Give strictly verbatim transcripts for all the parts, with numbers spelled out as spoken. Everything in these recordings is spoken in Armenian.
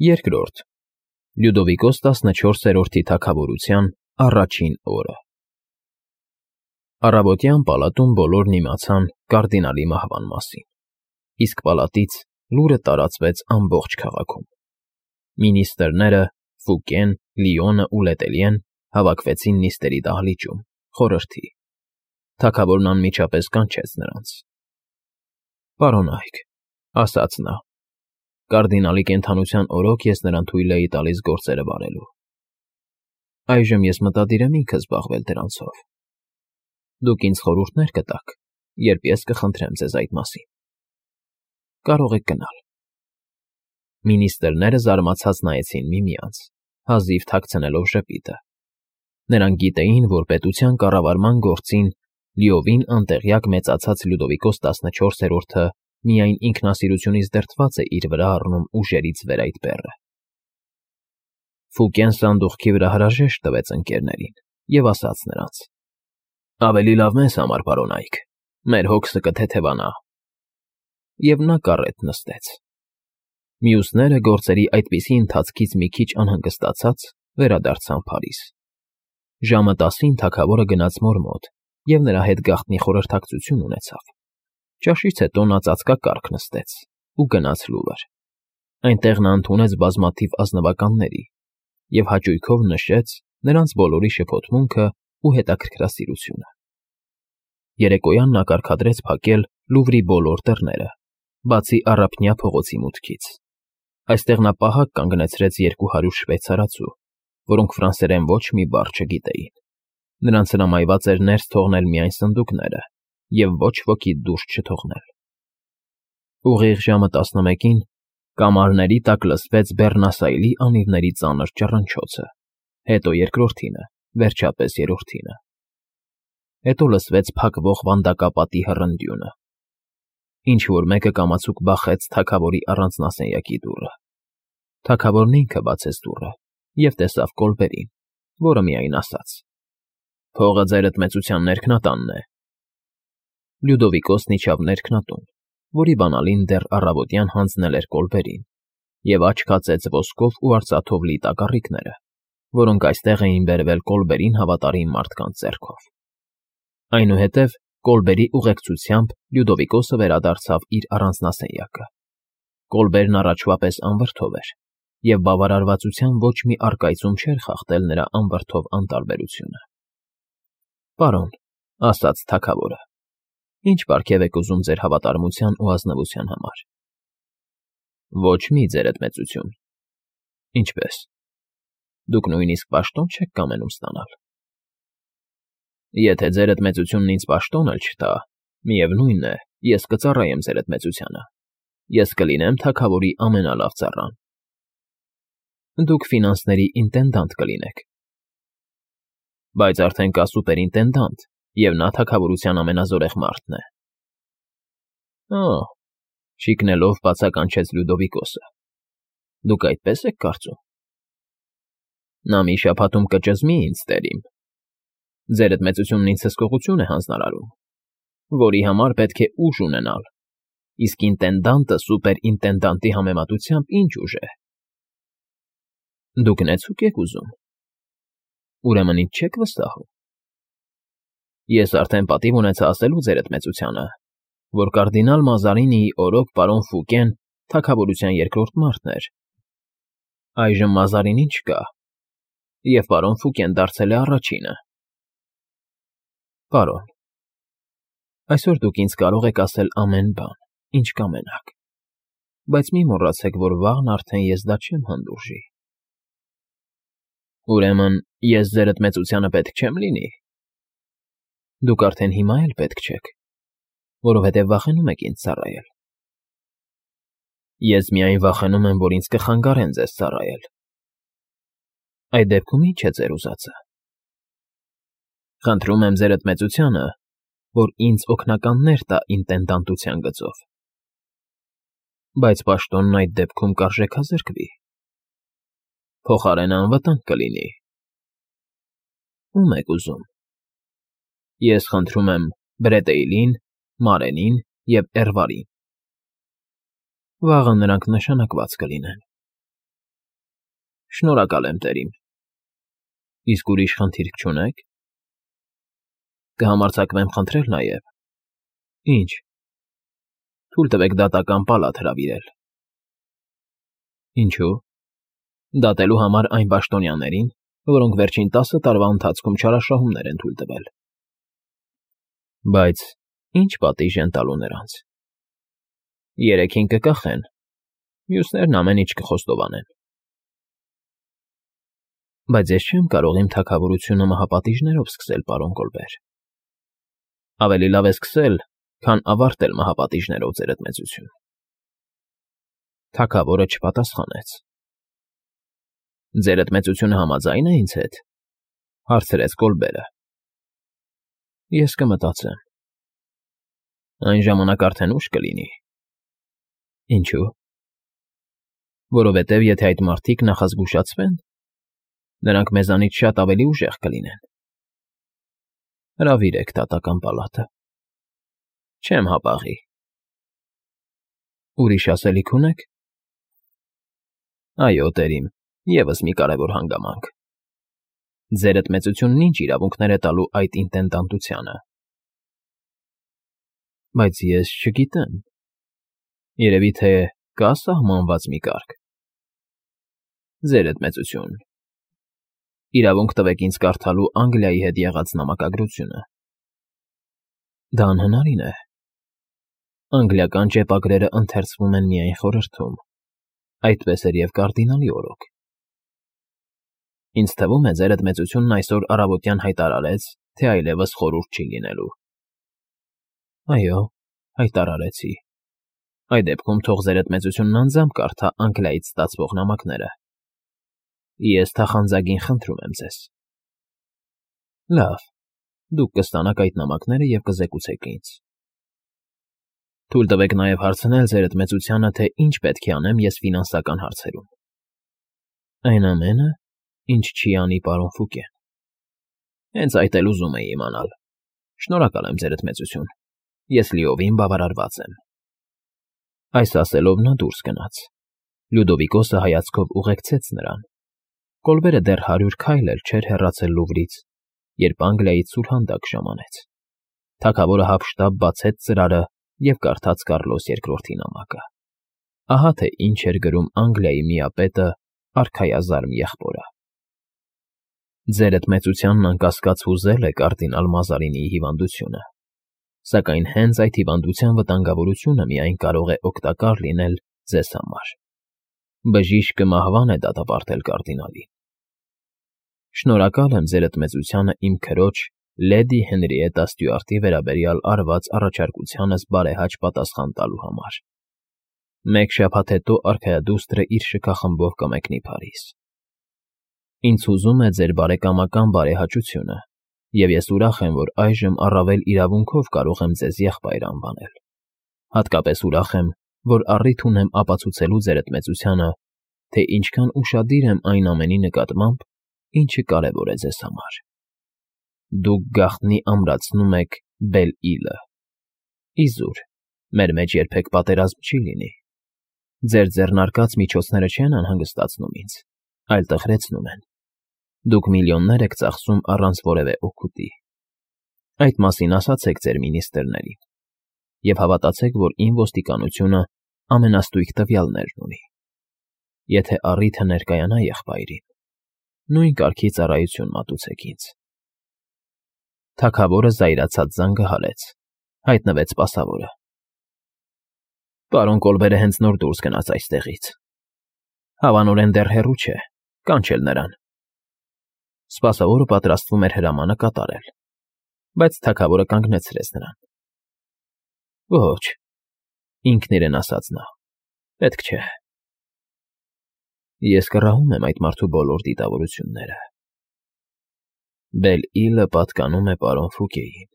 Երկրորդ Լյուդովիկոս տասնչորսերորդի թագավորության առաջին օրը Առավոտյան պալատում բոլորն իմացան կարդինալի մահվան մասին, իսկ պալատից լուրը տարածվեց ամբողջ քաղաքում. մինիստրները, Ֆուկեն, Լիոնն ու Լետելյեն հավաքվեցին նիստերի դահլիճում, խորհրդի. թագավորն անմիջապես կանչեց նրանց. «Պարոնայք,֊ ասաց նա,֊ կարդինալի կենդանության օրոք ես նրան թույլ էի տալիս գործերը վարելու. այժմ ես մտադիր եմ ինքս զբաղվել դրանցով. դուք ինձ խորհուրդներ կտաք, երբ ես կխնդրեմ ձեզ այդ մասին։ Կարող եք գնալ»։ Մինիստրները զարմացած նայեցին միմյանց, հազիվ թաքցնելով ժպիտը. նրանք գիտեին, որ պետության կառավարման գործին լիովին անտեղյակ մեծացած Լյուդովիկոս տասնչորսերորդը միայն ինքնասիրությունից դրդված է իր վրա առնում ուժերից վեր այդ բեռը։ Ֆուկեն սանդուղքի վրա հրաժեշտ տվեց ընկերներին և ասաց նրանց. «Ավելի լավ մեզ համար, պարոնայք, մեր հոգսը կթեթևանա»։ Եվ նա կառետ նստեց։ Մյուսները, գործերի այդպիսի ընթացքից մի քիչ անհանգստացած, վերադարձան Փարիզ։ Ժամը տասին թագավորը գնաց մոր մոտ և նրա հետ գաղտնի խորհրդակցություն ունեցավ։ Ճաշից հետո նա ծածկակառք նստեց ու գնաց Լուվր։ Այնտեղ նա ընդունեց բազմաթիվ ազնվականների և հաճույքով նշեց նրանց բոլորի շփոթմունքն ու հետաքրքրասիրությունը։ Երեկոյան նա կարգադրեց փակել Լուվրի բոլոր դռները, բացի Առափնյա փողոցի մուտքից։ Այստեղ նա պահակ կանգնեցրեց երկու հարյուր շվեյցարացու, որոնք ֆրանսերեն ոչ մի բառ չգիտեին։ Նրանց հրամայված էր ներս թողնել միայն սնդուկները և ոչ ոքի դուրս չթողնել։ Ուղիղ ժամը տասնմեկին կամարների տակ լսվեց Բեռնասայլի անիվների ծանր ճռնչոցը, հետո երկրորդինը, վերջապես երրորդինը։ Հետո լսվեց փակվող վանդակապատի հռնդյունը։ Ինչ֊որ մեկը կամացուկ բախեց թագավորի առանձնասենյակի դուռը։ Թագավորն ինքը բացեց դուռը և տեսավ Կոլբերին, որը միայն ասաց. «Փողը ձերդ մեծության ներքնատանն է»։ Լյուդովիկոսն իջավ ներքնատուն, որի բանալին դեռ առավոտյան հանձնել էր Կոլբերին, և աչք հացեց ոսկով ու արծաթով լի տակառիկները, որոնք այստեղ էին բերվել Կոլբերին հավատարիմ մարդկանց ձեռքով։ Այնուհետև Կոլբերի ուղեկցությամբ Լյուդովիկոսը վերադարձավ իր առանձնասենյակը։ Կոլբերն առաջվա պես անվրդով էր, և բավարարվածության ոչ մի առկայծում չէր խախտել նրա անվրդով անտարբերությունը։ «Պարոն,֊ ասաց թագավորը,֊ ի՞նչ պարգև եք ուզում ձեր հավատարմության ու ազնվության համար»։ «Ոչ մի, ձերդ մեծություն»։ «Ինչպե՞ս։ Դուք նույնիսկ պաշտոն չեք կամենում ստանալ»։ «Եթե ձերդ մեծությունն ինձ պաշտոն էլ չտա, միևնույն է, ես կծառայեմ ձերդ մեծությանը, ես կլինեմ թագավորի ամենալավ ծառան»։ «Դուք ֆինանսների ինտենդանտ կլինեք»։ «Բայց արդեն կա սուպերինտենդանտ, և նա թագավորության ամենազորեղ մարդն է»։ «Օ՜», շիկնելով բացականչեց Լյուդովիկոսը,֊ դուք այդպես եք կարծում։ Նա մի շաբաթում կճզմի ինձ, տերիմ։ Ձերդ մեծությունն ինձ հսկողություն է հանձնարարում, որի համար պետք է ուժ ունենալ, իսկ ինտենդանտը սուպերինտենդանտի համեմատությամբ ի՞նչ ուժ է։ Դուք նեցուկ եք ուզում։ Ուրեմն ինձ չեք վստահում։ Ես արդեն պատիվ ունեցա ասելու ձերդ մեծությանը, որ կարդինալ Մազարինիի օրոք պարոն Ֆուկեն թագավորության երկրորդ մարդն էր։ Այժմ Մազարինին չկա, և պարոն Ֆուկեն դարձել է առաջինը։ Պարոն, այսօր դուք ինձ կարող եք ասել ամեն բան, ինչ կամենաք, բայց մի մոռացեք, որ վաղն արդեն ես դա չեմ հանդուրժի։ Ուրեմն ես ձերդ մեծությանը պետք չեմ լինի։ Դուք արդեն հիմա էլ պետք չեք, որովհետև վախենում եք ինձ ծառայել։ Ես միայն վախենում եմ, որ ինձ կխանգարեն ձեզ ծառայել։ Այդ դեպքում ի՞նչ է ձեր ուզածը։ Խնդրում եմ ձերդ մեծությանը, որ ինձ օգնականներ տա ինտենդանտության գծով։ Բայց պաշտոնն այդ դեպքում կարժեքազրկվի։ Փոխարենը անվտանգ կլինի։ Ո՞ւմ եք ուզում։ Ես խնդրում եմ Բրետեյլին, Մարենին և Էրվարին։ Վաղը նրանք նշանակված կլինեն։ Շնորհակալ եմ, տերիմ։ Իսկ ուրիշ խնդիր չունե՞ք։ Կհամարձակվեմ խնդրել նաև։ Ինչ։ Թույլ տվեք դատական պալատ հրավիրել։ Ինչու՞։ Դատելու համար այն պաշտոնյաներին, որոնք վերջին տասը տարվա ընթացքում չարաշահումներ են թույլ տվել։ Բայց ի՞նչ պատիժ են տալու նրանց։ Երեքին կկախեն, մյուսներն ամեն ինչ կխոստովանեն։ Բայց ես չեմ կարող իմ թագավորությունը մահապատիժներով սկսել, պարոն Կոլբեր։ Ավելի լավ է սկսել, քան ավարտել մահապատիժներով, ձերդ մեծություն։ Թագավորը չպատասխանեց։ Ձերդ մեծությունը համաձայն է ինձ հետ, հարցրեց Կոլբերը։ Ես կմտածեմ։ Այն ժամանակ արդեն ուշ կլինի։ Ինչու՞։ Որովհետև եթե այդ մարդիկ նախազգուշացվեն, նրանք մեզանից շատ ավելի ուժեղ կլինեն։ Հրավիրեք դատական պալատը։ Չեմ հապաղի։ Ուրիշ ասելիք ունեք։ Այո, տերիմ, ևս մի կարևոր հանգամանք։ Ձերդ մեծությունն ինչ իրավունքներ է տալու այդ ինտենդանտությանը։ Բայց ես չգիտեմ։ Երևի թե կա սահմանված մի կարգ։ Ձերդ մեծություն։ Իրավունք տվեք ինձ կարդալու Անգլիայի հետ եղած նամակագրությունը։ Դա անհնարին է։ Անգլիական ճեպագրերը ընթերցվում են միայն խորհրդում։ Այդպես էր և կարդինալի օրոք։ Ինձ թվում է, ձերդ մեծությունն այսօր առավոտյան հայտարարեց, թե այլևս խորհուրդ չի լինելու։ Այո, հայտարարեցի։ Այդ դեպքում թող ձերդ մեծությունն անձամբ կարդա Անգլիայից ստացվող նամակները։ Ես թախանձագին խնդրում եմ ձեզ։ Լավ, դուք կստանաք այդ նամակները և կզեկուցեք ինձ։ Թույլ տվեք նաև հարցնել ձերդ մեծությանը, թե ինչ պետք է անեմ ես ֆինանսական հարցերում։ Այն ամենը, ինչ չի անի պարոն Ֆուկեն։ Հենց այդ էլ ուզում էի իմանալ։ Շնորհակալ եմ, ձերդ մեծություն։ Ես լիովին բավարարված եմ։ Այս ասելով նա դուրս գնաց։ Լյուդովիկոսը հայացքով ուղեկցեց նրան։ Կոլբերը դեռ հարյուր քայլ էլ չէր հեռացել Լուվրից, երբ Անգլիայից սուրհանդակ ժամանեց։ Թագավորը հափշտապ բացեց ծրարը և կարդաց Կառլոս Երկրորդի նամակը։ Ահա թե ինչ էր գրում Անգլիայի միապետը արքայազարմ եղբորը։ Ձերդ մեծությանն անկասկած հուզել է կարդինալ Մազարինիի հիվանդությունը, սակայն հենց այդ հիվանդության վտանգավորությունը միայն կարող է օգտակար լինել ձեզ համար։ Բժիշկը մահվան է դատապարտել կարդինալին։ Շնորհակալ եմ ձերդ մեծությանը իմ քրոջ Լեդի Հենրիետա Ստյուարտի վերաբերյալ արված առաջարկությանս բարեհաճ պատասխան տալու համար։ Մեկ շաբաթ հետո արքայադուստրը իր շքախմբով կմեկնի Փարիզ։ Ինձ հուզում է ձեր բարեկամական բարեհաճությունը, և ես ուրախ եմ, որ այժմ առավել իրավունքով կարող եմ ձեզ եղբայր անվանել։ Հատկապես ուրախ եմ, որ առիթ ունեմ ապացուցելու ձերդ մեծությանը, թե ինչքան ուշադիր եմ այն ամենի նկատմամբ, ինչը կարևոր է ձեզ համար։ Դուք գաղտնի ամրացնում եք Բել֊Իլը։ Իզուր, մեր մեջ երբեք պատերազմ չի լինի։ Ձեր ձեռնարկած միջոցները չեն անհանգստացնում ինձ, այլ տխրեցնում են։ Դուք միլիոններ եք ծախսում առանց որևէ օգուտի։ Այդ մասին ասացեք ձեր մինիստրներին և հավատացեք, որ իմ ոստիկանությունը ամենաստույգ տվյալներն ունի։ Եթե առիթը ներկայանա եղբայրին, նույն կարգի ծառայություն մատուցեք ինձ։ Թագավորը զայրացած զանգահարեց, հայտնվեց սպասավորը։ Պարոն Կոլբերը հենց նոր դուրս գնաց այստեղից։ Հավանորեն դեռ հեռու չէ, կանչել նրան։ Սպասավորը պատրաստվում էր հրամանը կատարել, բայց թագավորը կանգնեցրեց նրան։ Ոչ, ինքն իրեն ասաց նա, պետք չէ։ Ես կռահում եմ այդ մարդու բոլոր դիտավորությունները։ Բել-Իլը պատկանում է պարոն Ֆուկեին։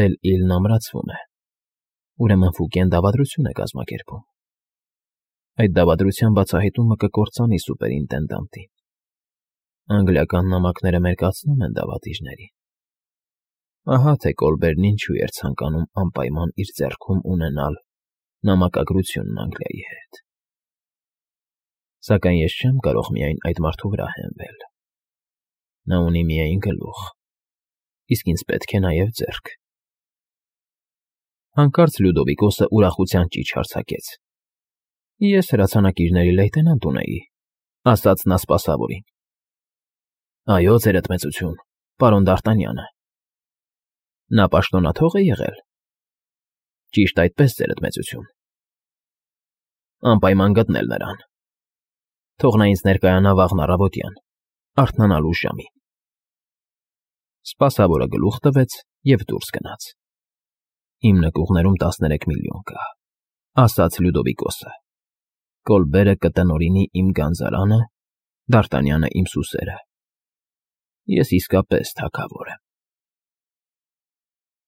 Բել-Իլն ամրացվում է։ Ուրեմն Ֆուկեն դավադրություն է կազմակերպում։ Այդ դավադրության բացահայտումը կկործանի սուպերինտենդանտին։ Անգլիական նամակները մերկացնում են դավադիրներին։ Ահա թե Կոլբերն ինչու էր ցանկանում անպայման իր ձեռքում ունենալ նամակագրությունն Անգլիայի հետ։ Սակայն ես չեմ կարող միայն այդ մարդու վրա հենվել. նա ունի միայն գլուխ, իսկ ինձ պետք է նաև ձեռք։ Հանկարծ Լյուդովիկոսը ուրախության ճիչ հարձակեց. Ես հրացանակիրների լեյտենանտ ունեի, ասաց նա սպասավորին։ Այո, ձերդ մեծություն, պարոն Դ'Արտանյանը։ Նա պաշտոնաթող է եղել։ Ճիշտ այդպես, ձերդ մեծություն։ Անպայման գտնել նրան։ Թող նա ինձ ներկայանա վաղն առավոտյան, արթնանալու ժամին։ Սպասավորը գլուխ տվեց և դուրս գնաց։ Իմ նկուղներում տասներեք միլիոն կա, ասաց Լյուդովիկոսը։ Կոլբերը կտնօրինի իմ գանձարանը, Դ'Արտանյանը իմ սուսերը։ Ես իսկապես թագավոր եմ։